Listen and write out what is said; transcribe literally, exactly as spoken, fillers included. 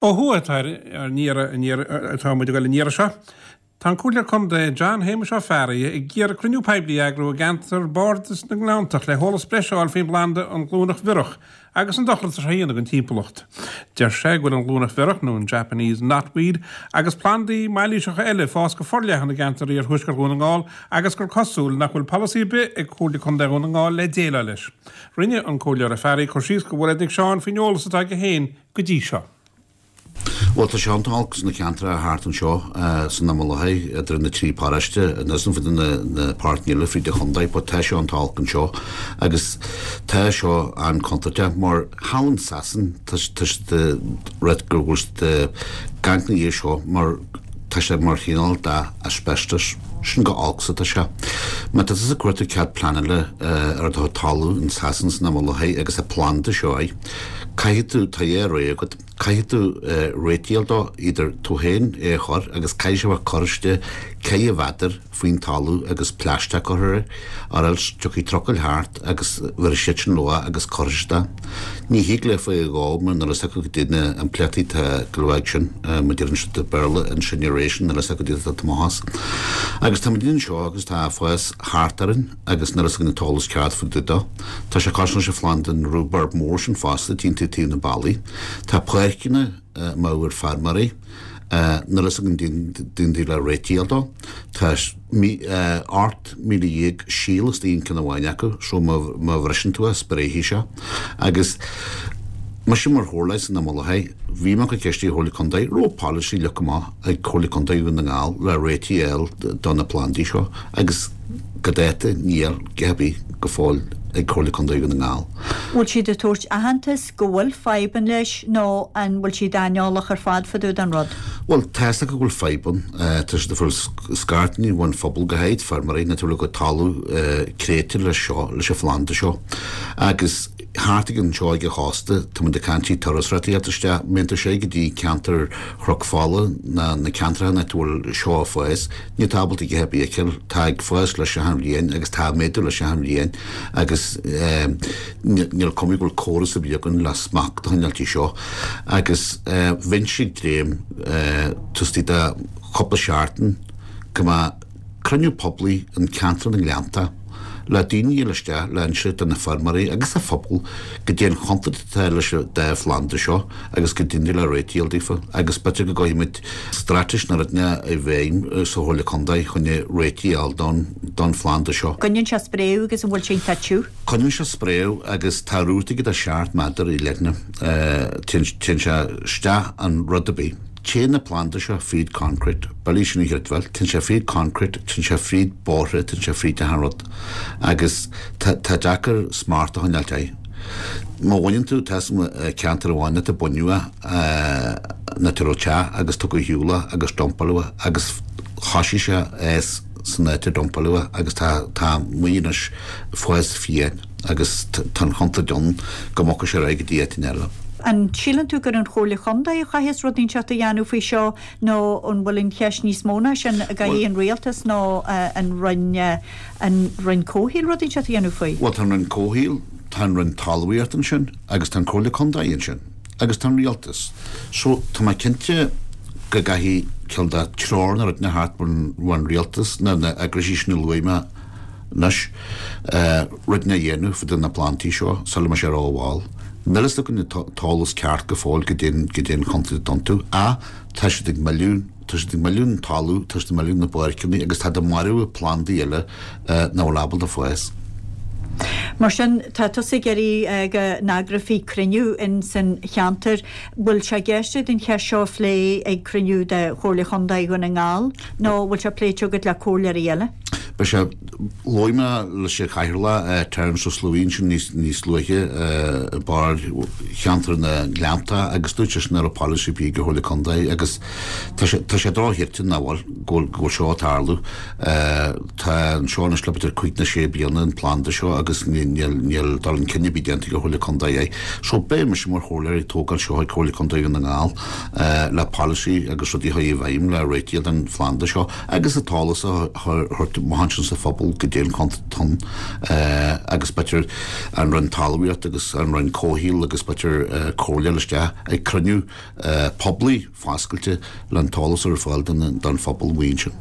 Ó thuaidh atá ar atá muid ag dul an iarraidh seo. Tá an Comhairleoir Contae John Shéamuis Ó Fearraigh ag iarraidh cruinniú poiblí a eagrú i gceantar Bhardas na nGleanntach le heolas breise a fháil faoin bplanda an ghlúineach bhiorach agus an dochar atá sé a dhéanamh don timpeallacht. Deir sé go bhfuil an ghlúineach bhiorach nó an Japanese knotweed agus plandaí mailíseacha eile ag fás go forleathan i gceantar iarthuaisceart Dhún na nGall agus gur cosúil nach bhfuil polasaí ar bith ag Comhairle Contae Dhún na nGall le déileáil leis. Rinne an Comhairleoir Ó Fearraigh cur síos do Mhairéad Nic Seáin faoin eolas atá aige féin go dtí seo. Bhuel tá sé an-olc sna ceantracha thart anseo san imeall idir na trí paróiste agus fud na na páirteanna eile fríd an chontae but tá sé an-olc anseo agus tá seo an-chontúirteach mar thall in Sasain tá tá siad rud go bhfuil siad ag caint ina dhiaidh seo mar tá sé mar chineál de asbestos sin chomh holc is atá sé. Má tá tusa ag cuartú cead pleanála ar do talamh in Sasain san imeall agus an planda seo é caithfidh tú tá é réidh agat caithfidh tú réitíl dó idir tú féin é a chur agus caithfidh sé bheith curtha istigh ceithre mhéadar faoin talamh agus plaisteach curtha air or else tiocfaidh trucail thart agus bheir siad sin leo agus cuirfidh siad é. Ní thig le faoi dhó mar nuair is acu go dtí na impleachtaí tá go leor sin mar deireann siad i Béarla incineration nuair is acu go dtí tá tomás. Agus tá muid anseo agus tá fás thart orainn agus nuair is againn an t-eolas ceart faoi dtaobh dó. Tá sé cosúil leis an phlanda an rhubarb mór sin fosta timpeall taobh na ballaí. Tá páirceanna mór feirmeoirí nuair is againn daoine le réitíl dó. Tá ocht míle dhéag síol istigh in ceann amháin acu so má má bhriseann tú é spréifidh sé. Agus mise mar chomhairleoir san imeall bhí mé ag ceistiú Chomhairle Contae raibh polasaí leagtha amach ag Comhairle Contae Dhún na nGall le réitigh a fháil do na plandaí seo agus go dáta níl a dhath ar bith go fóill ag Comhairle Contae Dhún na nGall. Bhfuil siad ag tabhairt aitheantas go bhfuil fadhb ann leis nó an bhfuil siad aineolach ar fad fá dtaobh den rud? Bhuel tá fhios acu go bhfuil fadhb ann tá siad ag fáil scairteanna ón phobal go háirid feirmeoirí na go talamh créite leis seo leis an phlanda seo agus thart ag anseo ag an chósta tá muid ag caint turasóirí isteach mbíonn sé go dtí ceantar Chnoc Fola na na ceantracha ina bhfuil seo ag fás ní tá ábalta go hebí tá ag fás leis an bhliain agus tá méadú leis an bhliain agus níl cuma go bhfuil córas ar bith againn le smacht a choinneáil seo agus bheinnse ag dréim tustaí de chúpla seachtain go mbeadh cruinniú poiblí in ceantar na nGleannta le daoine a isteach le inse do na feirmeoirí agus an phobal go dtí an chontúirt atá leis an dá phlanda seo agus go dtí le réitíl daofa agus b'fhéidir go gcaithfimid straitéis na rudaí i bhfeidhm sa Chomhairle Contae chun réitigh a fháil don don phlanda seo. Coinníonn sé spréadh agus an bhfuil sé ag Coinníonn sé spréadh agus tá rúta go seacht méadar i leithne téann sé isteach an rud ar bith. Téann na planda seo fríd concrete, bailí sin chreidbheáil, téann sé fríd concrete, téann sé fríd bóithre, téann sé fríd an rud agus tá deacair smacht a choinneáil air. Má bhaineann tú tá ceantar amháin atá baineadh na teach agus tugadh shiúla agus dumpáladh agus thosaigh sé es san áit a dumpáladh agus tá tá muoinis fás fiáin agus tá an chontúirt ann go mbogfaidh sé ar aghaidh go dtí áit eile. An síleann tú gur an Chomhairle Chontae a chaithfeas rud inteacht a dhéanamh faoi seo nó an bhfuil an cheist níos mó ná sin a gcaithfidh an rialtas nó an Roinn an Roinn Comhshaoil rud inteacht a dhéanamh faoi? Bhuel tá an Roinn Comhshaoil, tá an Roinn Talmhaíocht ansin agus tá an Comhairle Contae ansin agus tá an rialtas. So tá mé cinnte go gcaithfidh cineál de treoir na rud na thart an rialtas na na eagraisí sin a luaigh mé anois rud na dhéanamh fá dtaobh na plandaí seo sula mbeidh sé rómhall. Níl fhios againn an t-eolas ceart go fóill go dtí go dtí an chontúirt iontu ach tá siad ag milliún tá siad ag milliún talamh tá siad ag milliún na páirceanna agus tá ag marú plandaí eile nach bhfuil ábalta fás. Mar sin tá tusa ag iarraidh go n-eagrófaí cruinniú in san cheantar, bhfuil sé i gceist den cheist seo a phlé ag cruinniú de Chomhairle Chontae Dhún na nGall nó bhfuil sé pléite agat le comhairleoirí eile? Beidh sé luaigh mé leis an chathaoirleach Terence Ó Sluain sin níos níos luaithe i barr cheantar na nGleannta agus dúirt sé sin ar an policy bí go Chomhairle Contae agus tá sé tá sé drochshílte nach bhfuil go bhfuil go bhfuil seo ag tarlú. Tá an seo anois le b'fhéidir cúig nó sé bliana an planda seo agus níl níl dul chun cinn ar bith déanta ag Chomhairle Contae é. So beidh mise mar chomhairleoir ag tógáil seo ag Comhairle Contae Dhún na nGall le policy agus rudaí a chur i bhfeidhm le réitigh den phlanda seo agus an t-eolas a thabhairt amach ansin sa phobal goidé an contae ann agus b'fhéidir an Roinn Talmhaíochta agus an Roinn Comhshaoil agus b'fhéidir comhairle isteach ag cruinniú poiblí foscailte le an t-eolas ar fáil don phobal amuigh ansin.